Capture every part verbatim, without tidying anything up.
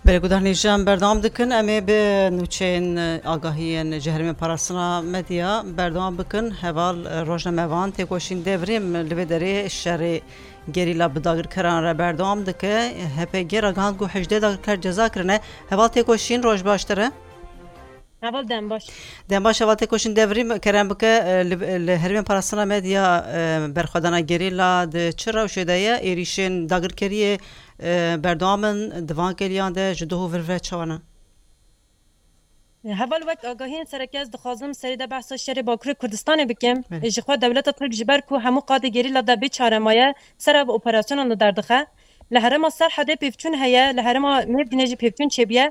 Belê guhdarên hêja, em berdewam dikin. Em ê bi nûçeyên, e, agahiyên ji herêmên parastina medya berdewam bikin. Heval, e, rojnamevan Têkoşîn Devrîm li vê derê şerê gerîla bi dagirkeran re berdewam dike. H P G ragihand ku hejdeh dagirker ceza kirine. Heval Têkoşîn, roj baş te re. Heval dem baş. Dem baş, heval Têkoşîn Devrîm, kerem bike, e, li, li herêmên parastina medya, e, berxwedana gerîla di çi rewşê de ye? Êrîşên dagirkeriyê, e, berdewam in, di van kêliyan de ji doh û vir ve çawa ne? Heval, wek agahiyên sereke ez dixwazim serê de behsa şerê Bakurê Kurdistanê bikim. Belê. Ji xwe dewleta Tirk ji ber ku hemû qadê gerîla de bê çare maye, ser ev operasyonan li derdixe. Li herêma Serhedê pêvçûn heye, li herêma Mêrdînê jî pêvçûn çêbûye.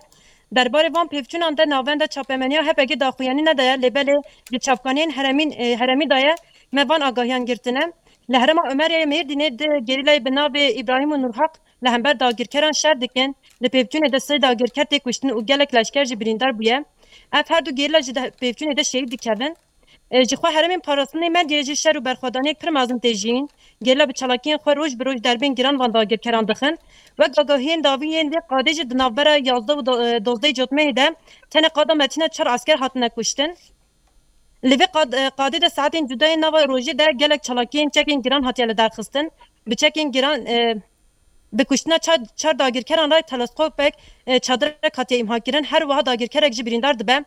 Derbarê van pêvçûnan de navenda çapemeniya H P G daxuyanî nedaye, lê belê di çavkaniyên heremîn, e, heremî de ye, me van agahiyan girtine. Li herêma Omerê Mêrdînê di gerîlayê bi navê Îbrahîm û Nurhaq li hember dagirkeran şer dikin. Li pêvçûnê de sê dagirker tê kuştin û gelek leşker jî birîndar bûye. Ev her du gerîla jî di pêvçûnê de şehîd dikevin. E, ji xwe herêmên parastinê medyayê jî şer û berxwedaniyek pir mezin tê jiyîn. Gerîla bi çalakiyên xwe roj bi roj derbên giran van dagirkeran dixin. Wek agahiyên dawî yên vê qadê jî di navbera yazdeh û do-, e, dozdeh cotmehê de tenê qada Metîna çar esker hatine kuştin. Li vê qad-, e, qadê de saetên cuda yên nava rojê de gelek çalakiyên çekên giran hatiye lidarxistin. Bi çekên giran, e, bi kuştina çar, çar dagirkeran re teleskopek, e, çadirek hatiye îmha kirin. Her wiha dagirkerek jî birîndar dibe. Belê.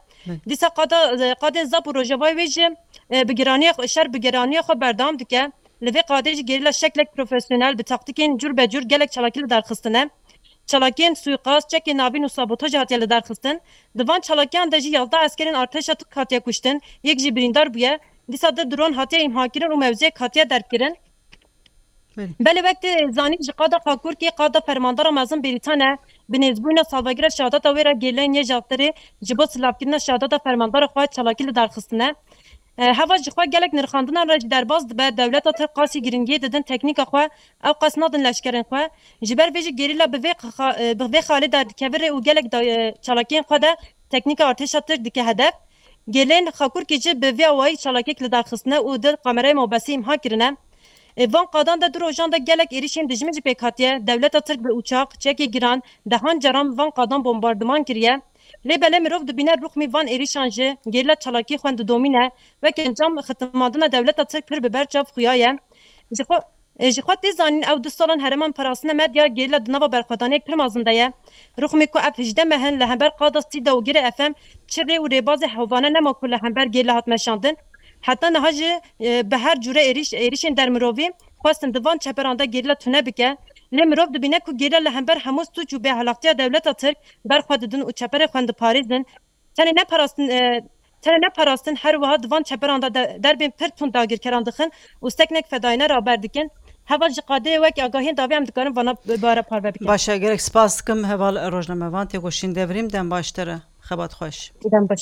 Dîsa qada, e, qadên Zap û Rojavayê wê jî, e, bi giraniya xwe, şer bi giraniya xwe berdewam dike. Li vê qadê jî gerîla şeklek profesyonel bi taktîkên cûr be cûr gelek çalakî lidarxistine. Çalakiyên suîqast, çekên navîn û sabotaj hatiye lidarxistin. Di van çalakiyan de jî yazdeh eskerên artêşa Tirk hatiye kuştin, yek jî birîndar bûye. Dîsa di dron hatiye îmhakirin û mewziyek hatiye derbkirin. Belê. Belê, wek tê zanîn, ji qada Xakurkê qada fermandara mezin Bêrîtan e. Bi nêzbûyîna salvegera şehadeta wê re gerîlayên Yê Jaftirê ji bo silavkirina şehadeta fermandara xwe çalakî lidarxistine. E, heva ji xwe gelek nirxandinan re jî derbas dibe, dewleta Tirk qasî girîngiyê didin teknîka xwe, ew qas nadin leşkerên xwe. Ji ber vê jî gerîla bi vê xa-, e, bi vê xalê derdikeve rê û gelek da-, e, çalakiyên xwe de teknîka artêşa Tirk dike hedef. Gelên Xakurkê jî bi vê awayî çalakiyek lidarxistine û di kamerayê mobesî îmha kirine. E, van qadan de du rojan de gelek êrîşên dijmin jî pêk hatiye. Dewleta Tirk bi uçaq, çekê giran, dehan caran van qadan bombardiman kiriye. Lê belê mirov dibîne rûxmî van êrîşan jî gerîla çalakî xwe didomîne. Wek encam, xitimandina dewleta Tirk pir bi ber çav xuya ye. Ji xwe, e, ji xwe tê zanîn, ew du salan herêman parastina medya gerîla di nava berxwedaniyek pir mezin de ye. Rûxmî ku ev hejdeh meh in li hember qada Sîda û Girê F M çi rê û rêbazê hovane nema ku li hember gerîla hat meşandin. Heta niha jî, e, bi her cûre êrîş, êrîşên dermirovî xwestin di van çeperan de gerîla tune bike. Lê mirov dibîne ku gerîla li hember hemû sûc û bêahlaqtiya dewleta Tirk ber xwe didin û çeperê xwe diparêzin. Tenê ne parastin, e, tenê ne parastin, her wiha di van çeperan de, de derbên pir tund dagirkeran dixin û seknek fedayîne raber dikin. Heval ji qadê wek agahiyên dawî em dikarin vana bi we re parve bikin. Baş e, gelek spas dikim heval rojnamevan Têkoşîn Devrîm, dem baş te re. Xebat xweş. Dem baş.